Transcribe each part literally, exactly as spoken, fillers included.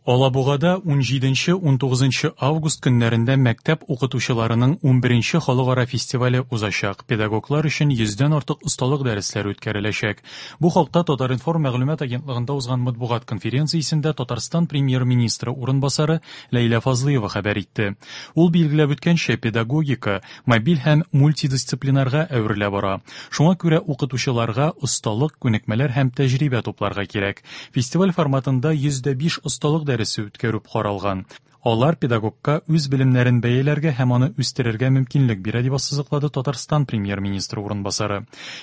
Алабугада унҗиденче-унтугызынчы август көннәрендә мәктәп укытучыларының унберенче халыкара фестивале узачак. Педагоглар өчен йөздән артык осталык дәресләре үткәреләчәк. Бу хакта Татар-информ мәгълүмат агентлыгында узган матбугат конференциясендә Татарстан премьер-министры урынбасары Ләйлә Фазлыева хәбәр итте. Ул билгеләп үткәнчә, педагогика мобиль һәм мультидисциплинарга әверелә бара. Шуңа күрә укытучыларга осталык, күнекмәләр һәм тәҗрибә тупларга кирәк. Фестиваль форматында йөз дә биш осталык дәресе үткәрү каралган. Алар педагогка үз белемнәрен бәяләргә һәм аны үстерергә мөмкинлек бирә, дип ассызыклады Татарстан премьер-министры урынбасары.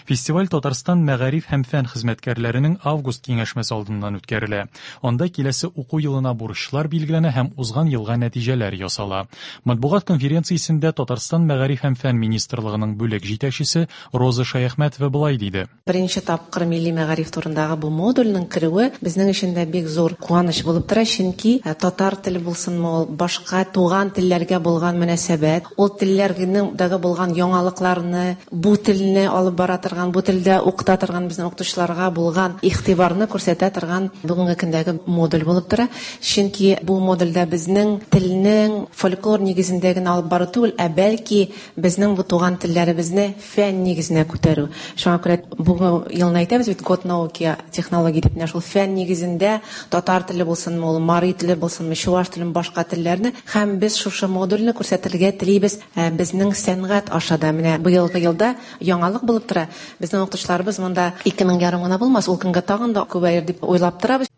Фестиваль Татарстан мәгариф һәм фән хезмәткәрләренең август киңәшмәсе алдыннан үткәрелә. Анда киләсе уку елына бурычлар билгеләнә һәм узган елга нәтиҗәләр ясала. Матбугат конференциясендә Татарстан мәгариф һәм фән министрлыгының бүлек җитәкчесе Роза Шаяхмәтова былай диде. Беренче тапкыр милли мәгариф турындагы бу модульнең керүе безнең өчен дә бик зур куаныч булып тора, чөнки татар теле булсынмы, ул башка туган телләргә булган мөнәсәбәт, ул телләрнең дагы булган яңалыкларны, бу телне алып бара торган, бу телдә укыта торган безнең укытучыларга булган игътибарны күрсәтә торган бүгенге көндәге модуль булып тора. Чөнки бу модульдә безнең телнең фольклор нигезендә генә алып бару түгел, ә бәлки безнең бу туган телләребезне фән нигезенә күтәрү. Шуңа күрә бүгенге елны әйтәбез бит, год науки, технология дип, менә шул фән нигезендә татар теле булсынмы, ул мари теле булсынмы, чуаш теле, башка телләрне, һәм без шушы модульне күрсәтергә телибез, ә, безнең сәнгать аша да. Менә быелгы елда яңалык булып тора. Безнең укытучыларыбыз монда ике мең ярым гына булмас, ул көнгә тагын да күбәер дип уйлап торабыз.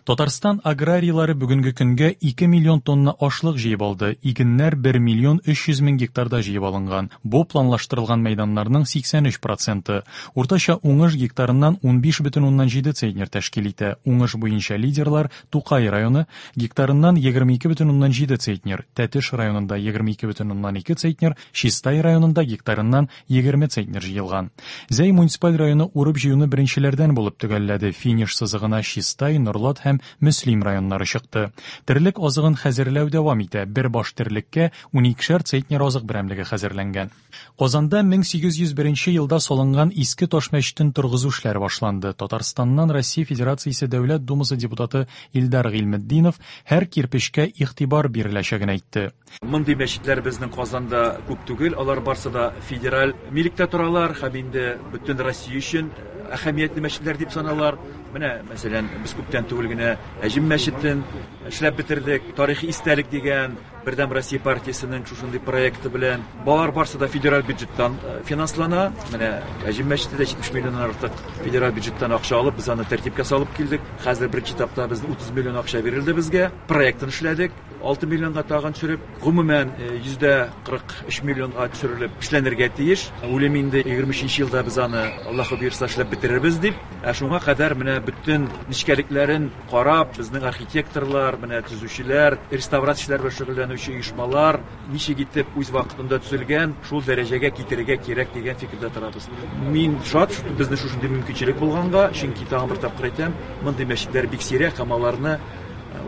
Татарстан аграрийлары бүгенге көнгә ике миллион тонна ашлык җыеп алды. Игеннәр бер миллион өч йөз мең гектарда җыеп алынган. Бу планлаштырылган мәйданнарның сиксән өч проценты. Уртача уңыш гектарыннан унбиш бөтен уннан җиде центнер тәшкил итә. Уңыш буенча лидерлар Тукай районы гектарыннан егерме ике бөтен уннан җиде центнер, Тәтеш районында егерме ике бөтен уннан ике центнер, Чистай районында гектарыннан егерме центнер җыелган. Зәй муниципаль районы урып җыюны беренчеләрдән булып төгәлләде. Финиш сызыгына Чистай, Норлат һәм Мөслим районнары чыкты. Терлек азыгын хәзерләү дәвам итә. Бер баш терлеккә уникешәр центнер азык берәмлеге хәзерләнгән. Казанда мең сигез йөз беренче елда салынган Иске Таш мәчетен торгызу эшләре башланды. Татарстаннан Россия Федерациясе Дәүләт Думасы депутаты Илдар Гыйльметдинов һәр кирпечкә игътибар биреләчәген әйтте. Мондый мәчетләр безнең Казанда күп түгел, алар барсы да федераль милектә торалар һәм инде бөтен Россия өчен әһәмиятле мәчетләр дип саналар. Менә, мәсәлән, без күптән түгел генә Әҗем мәчетен эшләп бетердек. Тарихи истәлек дигән Бердәм Россия партиясенең шушындый проекты белән. Балалар барсы да федераль бюджеттан, э, финанслана. Менә Әҗем мәчете дә җитмеш миллионнан артык федераль бюджеттан акча алып, без аны тәртипкә салып килдек. Хәзер беренче этапта безнең утыз миллион акча бирелде безгә. Проектын эшләдек. Алты миллионга тагын төшереп, гомумән, э, йөздә кырык өч миллионга төшерелеп эшләнергә тиеш. Уйлыйм инде егерме өченче елда без аны Аллаһы боерса эшләп бетерербез дип. Ә шуңа кадәр менә бөтен нечкәлекләрен карап, безнең архитекторлар, менә төзүчеләр, реставрацияләр белән шөгыльләнүче оешмалар ничек итеп үз вакытында төзелгән, шул дәрәҗәгә китерергә кирәк дигән фикердә торабыз. Мин шат, безнең шушындый мөмкинчелек булганга, чөнки тагын бер тапкыр әйтәм, мондый мәчетләр бик сирәк һәм аларны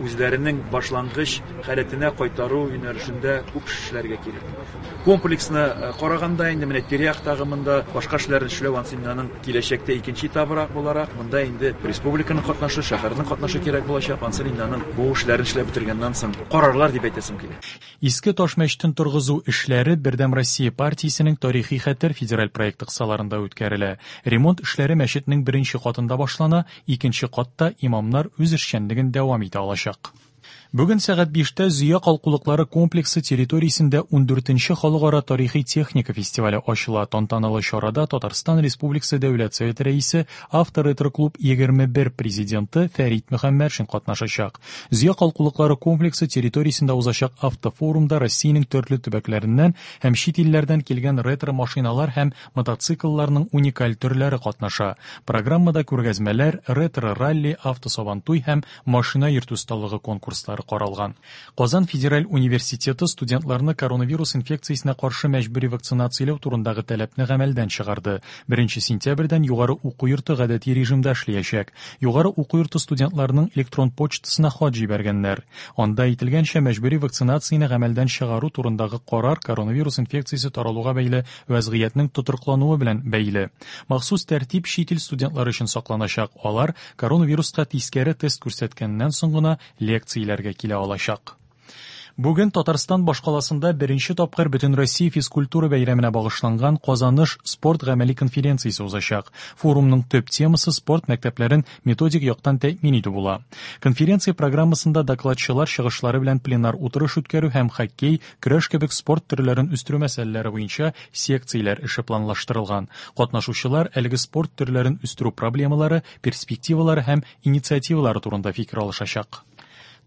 үзләренең башлангыч халәтенә кайтару юнәлешендә күп эшләргә кирәк. Комплексны, э, караганда инде менә тирә-яктагы монда башка эшләрне эшләү ансы инде аның киләчәктә икенче этабырак буларак, монда инде республиканың катнашы, шәһәрнең катнашы кирәк булачак. Ансы инде аның бу эшләрен эшләп бетергәннән соң карарлар дип әйтәсем килә. Иске Таш мәчетен торгызу эшләре Бердәм Россия партиясенең Тарихи хәтер федераль проекты кысаларында үткәрелә. Ремонт эшләре мәчетнең беренче катында башлана, икенче катта имамнар үз эшчәнлеген дәвам итә алачак. Бүген сәгать биштә Зөя калкулыклары комплексы территориясендә ундүртенче халыкара тарихи техника фестивале ачыла. Тантаналы чарада Татарстан Республикасы Дәүләт Советы рәисе, Авто-ретро-клуб егерме бер президенты Фәрит Мөхәммәтшин катнашачак. Зөя калкулыклары комплексы территориясендә узачак автофорумда Россиянең төрле төбәкләреннән һәм чит илләрдән килгән ретро-машиналар һәм мотоциклларның уникаль төрләре катнаша. Программада күргәзмәләр, ретро-ралли, автосабантуй һәм машина йөртү осталыгы конкурслары каралган. Казан федераль университеты студентларны коронавирус инфекциясенә каршы мәҗбүри вакцинацияләү турындагы таләпне гамәлдән чыгарды. Беренче сентябрьдән югары уку йорты гадәти режимда эшләячәк. Югары уку йорты студентларының электрон почтасына хат җибәргәннәр. Анда әйтелгәнчә, мәҗбүри вакцинацияне гамәлдән чыгару турындагы карар коронавирус инфекциясе таралуга бәйле вәзгыятьнең тотрыклануы белән бәйле. Махсус тәртип чит ил студентлары өчен сакланачак. Алар коронавируска тискәре тест күрсәткәннән соң гына лекцияләр секцияләргә килә алачак. Бүген Татарстан башкаласында беренче тапкыр Бөтенроссия физкультура бәйрәменә багышланган Казаныш спорт гамәли конференциясе узачак. Форумның төп темасы спорт мәктәпләрен методик яктан тәэмин итү була. Конференция программасында докладчылар чыгышлары белән пленар утырыш үткәрү һәм хоккей, көрәш кебек спорт төрләрен үстерү мәсьәләләре буенча секцияләр эше планлаштырылган. Катнашучылар әлеге спорт төрләрен үстерү проблемалары, перспективалары һәм инициативалары турында фикер алышачак.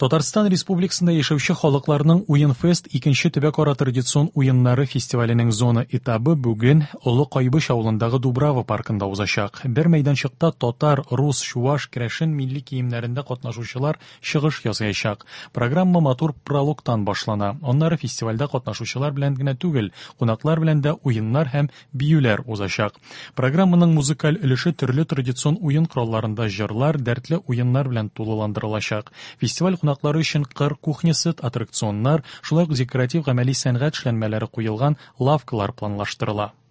Татарстан Республикасында яшәүче халыкларның Уенфест икенче төбәкара традицион уеннары фестиваленең зона этабы бүген Олы Кайбыч авылындагы Дубрава паркында узачак. Бер мәйданчыкта татар, рус, чуваш, керәшен милли киемнәрендә катнашучылар чыгыш ясаячак. Программа матур прологтан башлана. Аннары фестивальдә катнашучылар белән генә түгел, кунаклар белән дә уеннар һәм биюләр узачак. Программаның музыкаль өлеше төрле традицион уен коралларында җырлар, дәртле уеннар белән тулыландырылачак. Фестиваль кунаклары өчен кыр кухнясы, аттракционнар, шулай ук декоратив гамәли сәнгать эшләнмәләре куелган лавкалар планлаштырыла.